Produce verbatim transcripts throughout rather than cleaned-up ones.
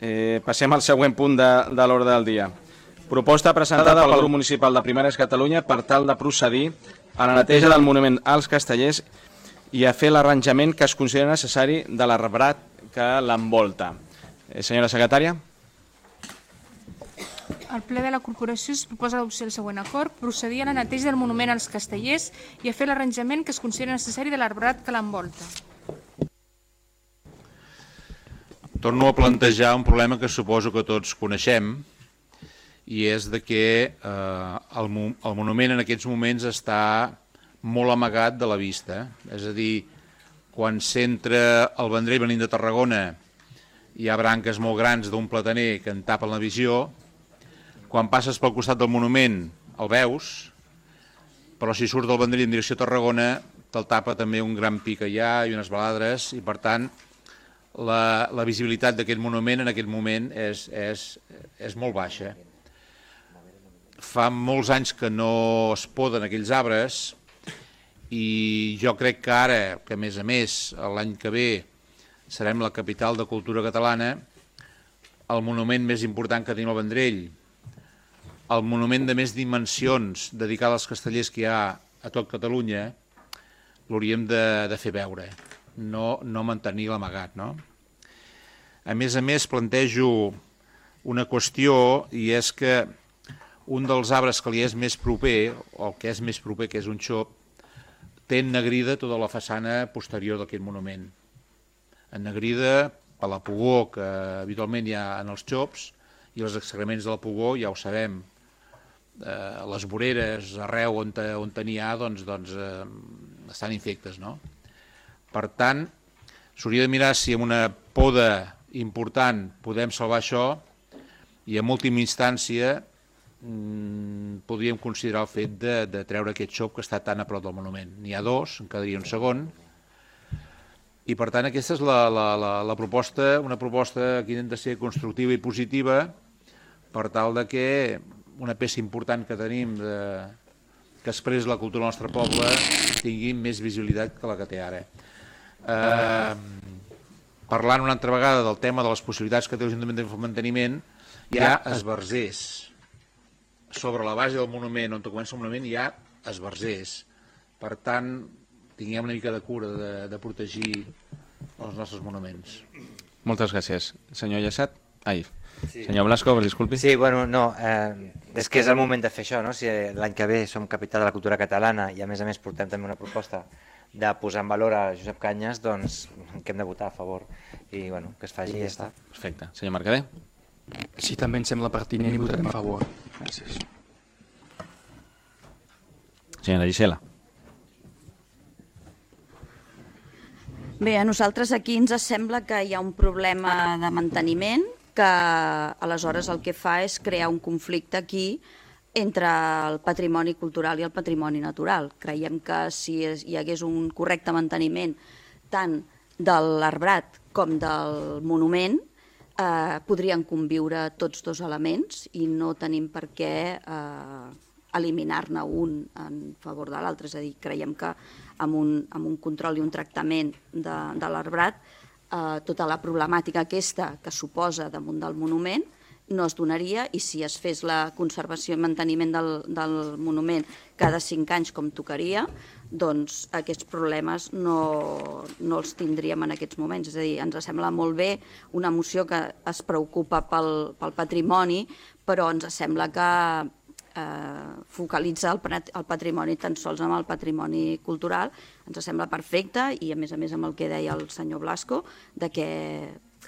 Eh, passem al següent punt de, de l'ordre del dia. Proposta presentada pel grup municipal de Primaris Catalunya per tal de procedir a la neteja del monument als Castellers i a fer l'arranjament que es considera necessari de l'arbrat que l'envolta. Eh, senyora secretària. Al ple de la corporació es proposa adopció del següent acord, procedir a la neteja del monument als Castellers i a fer l'arranjament que es considera necessari de l'arbrat que l'envolta. Torno a plantejar un problema que suposo que tots coneixem, i és de que eh, el, el monument en aquests moments està molt amagat de la vista. És a dir, quan s'entra al Vendrell venint de Tarragona hi ha branques molt grans d'un plataner que en tapen la visió. Quan passes pel costat del monument el veus, però si surt del Vendrell en direcció a Tarragona te'l tapa també un gran pi que hi ha i unes baladres, i per tant la, la visibilitat d'aquest monument en aquest moment és, és, és molt baixa. Fa molts anys que no es poden aquells arbres i jo crec que ara, que a més a més l'any que ve serem la capital de cultura catalana, el monument més important que tenim al Vendrell, el monument de més dimensions dedicat als castellers que hi ha a tot Catalunya, l'hauríem de, de fer veure, no, no mantenir l'amagat, no? A més a més plantejo una qüestió, i és que un dels arbres que li és més proper, o el que és més proper, que és un xop, té ennegrida tota la façana posterior d'aquest monument. Ennegrida per la pugó que habitualment hi ha en els xops, i els excrements de la pugó, ja ho sabem, eh, les voreres arreu on, on n'hi ha doncs, doncs, eh, estan infectes, no? Per tant, s'hauria de mirar si amb una poda important podem salvar això, i en última instància podríem considerar el fet de, de treure aquest xop que està tan a prop del monument. N'hi ha dos, en quedaria un segon, i per tant aquesta és la, la, la, la proposta, una proposta que intenta ser constructiva i positiva per tal de que una peça important que tenim de, que expressa la cultura del nostre poble tingui més visibilitat que la que té ara. Eh, parlant una altra vegada del tema de les possibilitats que té l'Ajuntament de manteniment, hi ha esbarzers. Sobre la base del monument, on comença el monument, hi ha esbarzers. Per tant, tinguem una mica de cura de, de protegir els nostres monuments. Moltes gràcies. Senyor Llassat? Ai, sí. Senyor Blasco, disculpi. Sí, bueno, no, eh, és que és el moment de fer això, no? Si l'any que ve som capital de la cultura catalana i a més a més portem també una proposta de posar en valor a Josep Canyes, doncs que hem de votar a favor i bueno, que es faci i ja està. Perfecte. Senyor Mercader? Sí, també em sembla pertinent i votarem a favor. Gràcies. Senyora Gisela. Bé, a nosaltres aquí ens sembla que hi ha un problema de manteniment que aleshores el que fa és crear un conflicte aquí entre el patrimoni cultural i el patrimoni natural. Creiem que si hi hagués un correcte manteniment tant de l'arbrat com del monument, eh, podrien conviure tots dos elements i no tenim per què eh, eliminar-ne un en favor de l'altre. És a dir, creiem que amb un, amb un control i un tractament de, de l'arbrat, eh, tota la problemàtica aquesta que suposa damunt del monument no es donaria, i si es fes la conservació i manteniment del, del monument cada cinc anys com tocaria, doncs aquests problemes no, no els tindríem en aquests moments. És a dir, ens sembla molt bé una moció que es preocupa pel, pel patrimoni, però ens sembla que eh, focalitza el, el patrimoni tan sols amb el patrimoni cultural. Ens sembla perfecte, i a més a més amb el que deia el senyor Blasco, de que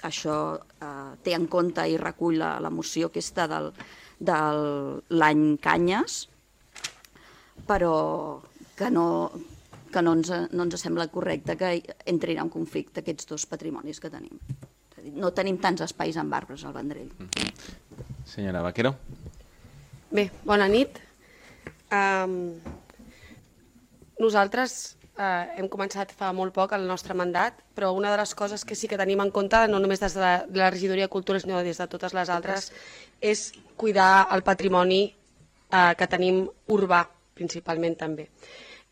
això eh, té en compte i recull la, la moció aquesta del, de l'any Canyes, però que no, que no, ens, no ens sembla correcte que entrin en conflicte aquests dos patrimonis que tenim. És a dir, no tenim tants espais amb arbres al Vendrell. Senyora Vaquero. Bé, bona nit. Um, nosaltres Uh, hem començat fa molt poc el nostre mandat, però una de les coses que sí que tenim en compte, no només des de la, de la regidoria de Cultura, sinó des de totes les altres, és cuidar el patrimoni uh, que tenim urbà, principalment també.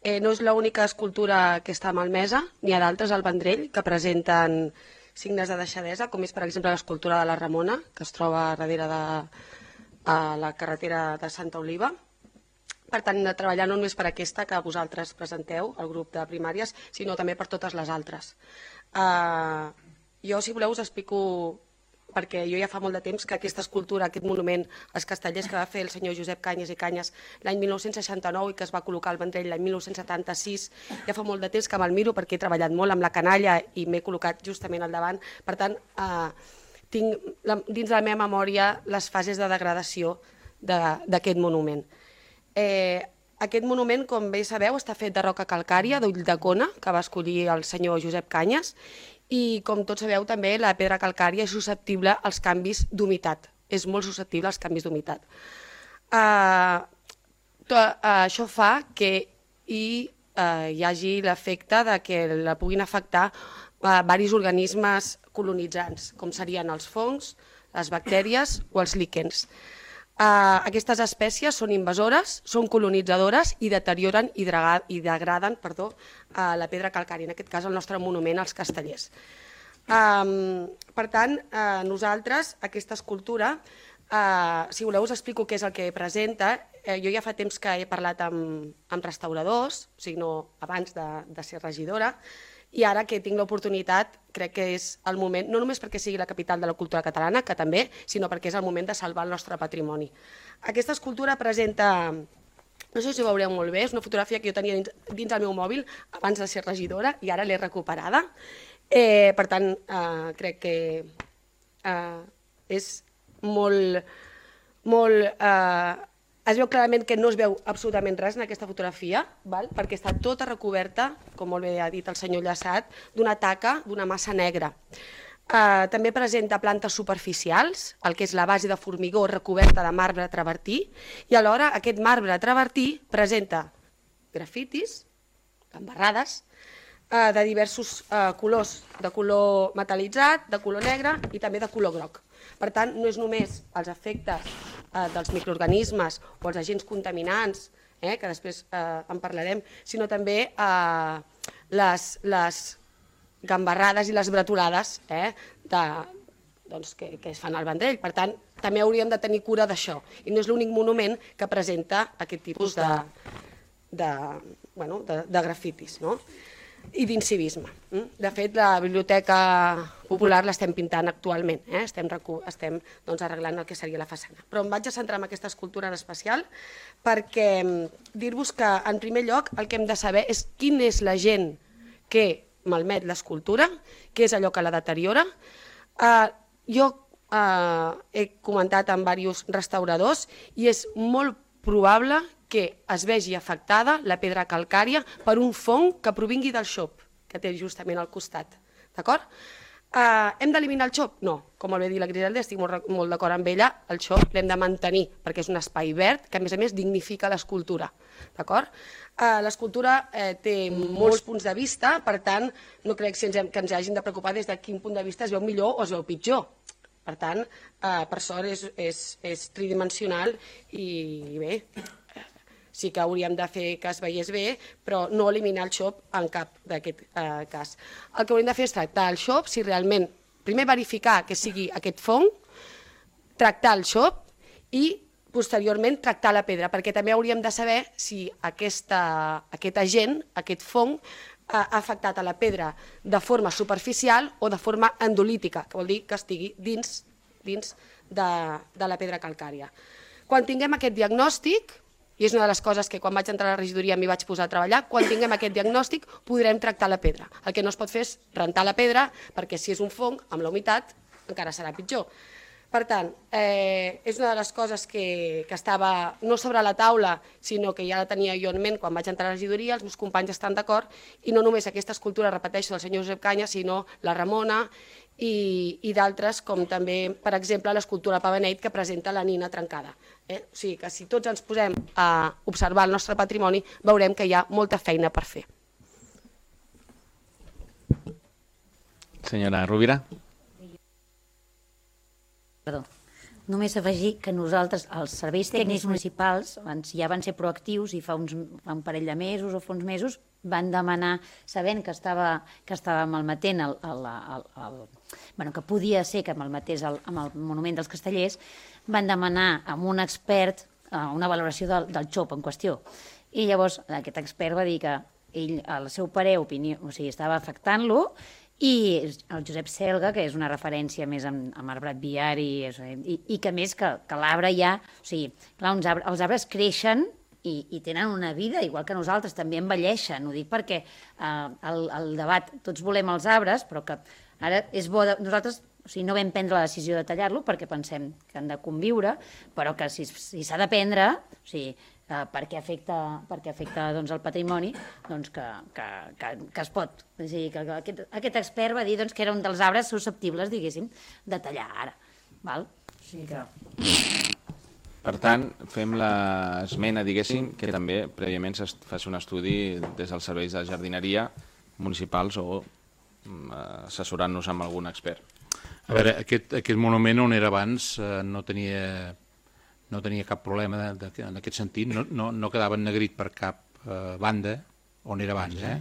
Eh, no és l'única escultura que està malmesa, n'hi ha d'altres al Vendrell que presenten signes de deixadesa, com és per exemple l'escultura de la Ramona, que es troba darrere de a la carretera de Santa Oliva. Per tant, hem de treballar no només per aquesta que vosaltres presenteu, el grup de primàries, sinó també per totes les altres. Uh, jo, si voleu, us explico, perquè jo ja fa molt de temps que aquesta escultura, aquest monument als Castellers que va fer el senyor Josep Canyes i Canyes l'any mil nou-cents seixanta-nou i que es va col·locar al Vendrell l'any mil nou-cents setanta-sis, ja fa molt de temps que me'l miro perquè he treballat molt amb la canalla i m'he col·locat justament al davant. Per tant, eh, tinc dins de la meva memòria les fases de degradació d'aquest monument. Eh, aquest monument, com bé sabeu, està fet de roca calcària d'Ulldecona, que va escollir el senyor Josep Canyes, i com tots sabeu també la pedra calcària és susceptible als canvis d'humitat, és molt susceptible als canvis d'humitat. Uh, això fa que hi, uh, hi hagi l'efecte de que la puguin afectar uh, diversos organismes colonitzants, com serien els fongs, les bactèries o els líquens. Uh, aquestes espècies són invasores, són colonitzadores i deterioren i, i degraden perdó, uh, la pedra calcària, en aquest cas el nostre monument als Castellers. Um, per tant, uh, nosaltres, aquesta escultura, uh, si voleu us explico què és el que presenta. Uh, jo ja fa temps que he parlat amb, amb restauradors, o sigui, no abans de, de ser regidora, i ara que tinc l'oportunitat, crec que és el moment, no només perquè sigui la capital de la cultura catalana, que també, sinó perquè és el moment de salvar el nostre patrimoni. Aquesta escultura presenta, no sé si ho veureu molt bé, és una fotografia que jo tenia dins, dins el meu mòbil abans de ser regidora i ara l'he recuperada. Eh, per tant, eh, crec que eh, és molt... molt eh, es veu clarament que no es veu absolutament res en aquesta fotografia, val? Perquè està tota recoberta, com molt bé ha dit el senyor Llaçat, d'una taca, d'una massa negra. Uh, també presenta plantes superficials, el que és la base de formigó recoberta de marbre travertí, i alhora aquest marbre travertí presenta grafitis, embarrades, uh, de diversos uh, colors, de color metal·litzat, de color negre i també de color groc. Per tant, no és només els efectes eh, dels microorganismes o els agents contaminants, eh, que després eh, en parlarem, sinó també eh, les, les gambarrades i les bretolades eh, de, doncs, que, que es fan al Vendrell. Per tant, també hauríem de tenir cura d'això. I no és l'únic monument que presenta aquest tipus de, de, bueno, de, de grafitis, no? I d'incivisme. De fet, la Biblioteca Popular l'estem pintant actualment, eh? estem, estem doncs, arreglant el que seria la façana. Però em vaig a centrar en aquesta escultura en especial perquè dir-vos que, en primer lloc, el que hem de saber és quin és l'agent que malmet l'escultura, què és allò que la deteriora. Uh, jo uh, he comentat amb diversos restauradors i és molt probable que es vegi afectada la pedra calcària per un fong que provingui del xop, que té justament al costat. D'acord? Uh, hem d'eliminar el xop? No. Com molt bé dit la Griselda, estic molt, molt d'acord amb ella, el xop l'hem de mantenir, perquè és un espai verd que, a més a més, dignifica l'escultura. D'acord? Uh, l'escultura eh, té molts punts de vista, per tant, no crec que ens, hem, que ens hagin de preocupar des de quin punt de vista es veu millor o es veu pitjor. Per tant, uh, per sort és, és, és tridimensional i bé, sí que hauríem de fer que es veiés bé, però no eliminar el xop en cap d'aquest eh, cas. El que hauríem de fer és tractar el xop, si realment, primer verificar que sigui aquest fong, tractar el xop i posteriorment tractar la pedra, perquè també hauríem de saber si aquesta, aquest agent, aquest fong, ha afectat a la pedra de forma superficial o de forma endolítica, que vol dir que estigui dins, dins de, de la pedra calcària. Quan tinguem aquest diagnòstic, i és una de les coses que quan vaig entrar a la regidoria m'hi vaig posar a treballar, quan tinguem aquest diagnòstic podrem tractar la pedra. El que no es pot fer és rentar la pedra, perquè si és un fong, amb la humitat, encara serà pitjor. Per tant, eh, és una de les coses que, que estava no sobre la taula, sinó que ja la tenia jo en ment quan vaig entrar a la regidoria, els meus companys estan d'acord, i no només aquesta escultura, repeteixo, del senyor Josep Canyes, sinó la Ramona i, i d'altres, com també, per exemple, l'escultura Pavaneit, que presenta la nina trencada. Eh? O sigui que si tots ens posem a observar el nostre patrimoni, veurem que hi ha molta feina per fer. Senyora Rovira. Perdó. només afegir que nosaltres, els serveis tècnics municipals, ja van ser proactius i fa, uns, fa un parell de mesos o fa uns mesos van demanar, sabent que estava, que estava malmetent, el, el, el, el, bueno, que podia ser que malmetés el, amb el monument dels Castellers, van demanar amb un expert una valoració del, del xop en qüestió. I llavors aquest expert va dir que ell, al seu parer, opinió, o sigui, estava afectant-lo, i el Josep Selga, que és una referència més amb, amb arbrat viari, i, i que més que, que l'arbre ja... O sigui, clar, uns arbres, els arbres creixen i, i tenen una vida, igual que nosaltres, també envelleixen. Ho dic perquè eh, el, el debat, tots volem els arbres, però que ara és bo... De, nosaltres o sigui, no vam prendre la decisió de tallar-lo perquè pensem que han de conviure, però que si s'ha si de prendre... O sigui, Uh, perquè afecta, perquè afecta doncs, el patrimoni, doncs, que, que, que, que es pot. O sigui, que aquest, aquest expert va dir doncs, que era un dels arbres susceptibles, diguéssim, de tallar ara. Val? O sigui que... Per tant, fem l'esmena, diguéssim, que també prèviament es faci un estudi des dels serveis de jardineria municipals o assessorant-nos amb algun expert. A veure, aquest, aquest monument on era abans eh, no tenia... no tenia cap problema de, de, en aquest sentit, no, no, no quedava ennegrit per cap eh, banda on era abans. Eh?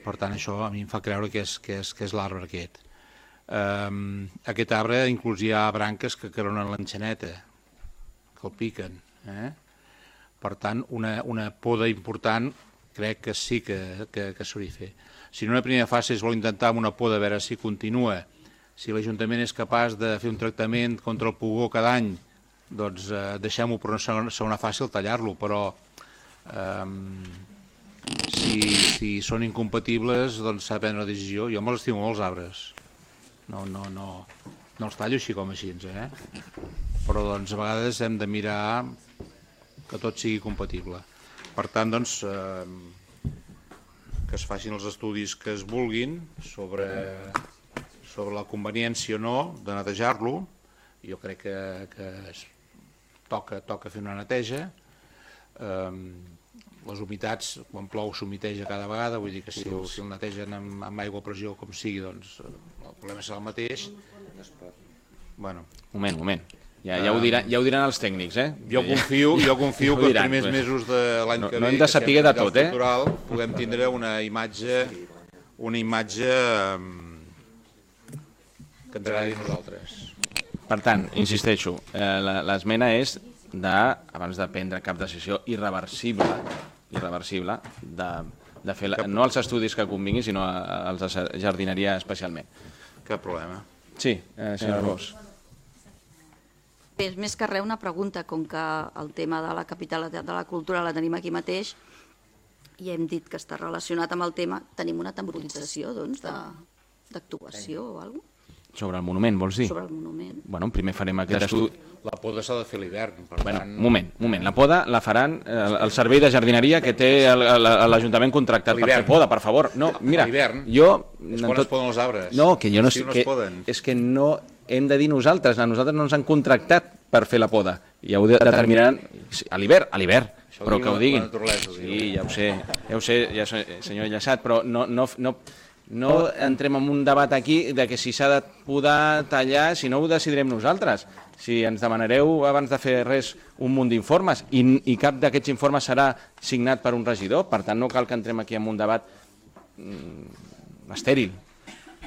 Per tant, això a mi em fa creure que és, que és, que és l'arbre aquest. Um, aquest arbre inclús hi ha branques que caronen l'enxaneta, que el piquen. Eh? Per tant, una, una poda important crec que sí que, que, que s'hauria de fer. Si en una primera fase es vol intentar amb una poda a veure si continua, si l'Ajuntament és capaç de fer un tractament contra el pugó cada any, doncs eh, deixem-ho per una segona, segona fase tallar-lo, però eh, si, si són incompatibles doncs s'ha de prendre una decisió. Jo me'ls estimo molts arbres, no, no, no, no els tallo així com així, eh? Però doncs a vegades hem de mirar que tot sigui compatible. Per tant, doncs, eh, que es facin els estudis que es vulguin sobre, sobre la conveniència o no de netejar-lo. Jo crec que, que es toca, toca fer una neteja. Um, les humitats, quan plou s'humiteja cada vegada, vull dir que si el, si el netegen amb, amb aigua a pressió com sigui, doncs el problema serà el mateix. Bueno. Moment, moment. Ja, ja, ho diran, ja ho diran els tècnics, eh? Jo confio, jo confio ja que els primers mesos de l'any no, que ve, no hem de saber de tot, eh? Cultural, puguem tindre una imatge, una imatge um, que ens agradi a nosaltres. Per tant, insisteixo, eh, l'esmena és de, abans de prendre cap decisió irreversible, irreversible de, de fer, la, no els estudis que convinguin, sinó els de jardineria especialment. Cap problema. Sí, eh, senyor Ros. És més que res una pregunta, com que el tema de la capital de la cultura la tenim aquí mateix i hem dit que està relacionat amb el tema, tenim una temporització doncs, d'actuació o alguna cosa? Sobre el monument, vols dir? Sobre el monument. Bueno, primer farem aquest estudi. La poda s'ha de fer a l'hivern, per bueno, tant... moment, moment. La poda la faran el, el servei de jardineria que té l'Ajuntament contractat per fer poda, per favor. No, mira, jo... És quan tot... es poden els arbres. No, que jo no sé... No que, poden. És que no hem de dir nosaltres, a nosaltres no ens han contractat per fer la poda. Ja ho determinaran a l'hivern, a l'hivern, però que ho diguin. Sí, ja ho sé, ja ho sé, ja senyor Llaçat, però no... no, no No entrem en un debat aquí de que si s'ha de podar, tallar, si no ho decidirem nosaltres. Si ens demanareu abans de fer res un munt d'informes i, i cap d'aquests informes serà signat per un regidor, per tant no cal que entrem aquí en un debat mm, estèril.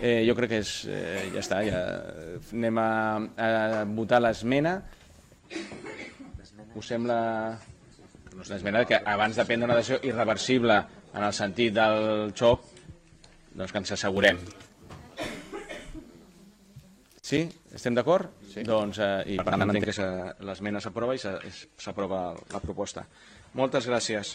Eh, jo crec que és, eh, ja està, ja anem a, a votar l'esmena. Us sembla l'esmena que abans de prendre una decisió irreversible en el sentit del xoc, doncs que ens assegurem. Sí? Estem d'acord? Sí. Doncs, eh, i per tant entenc que l'esmena s'aprova i s'aprova la proposta. Moltes gràcies.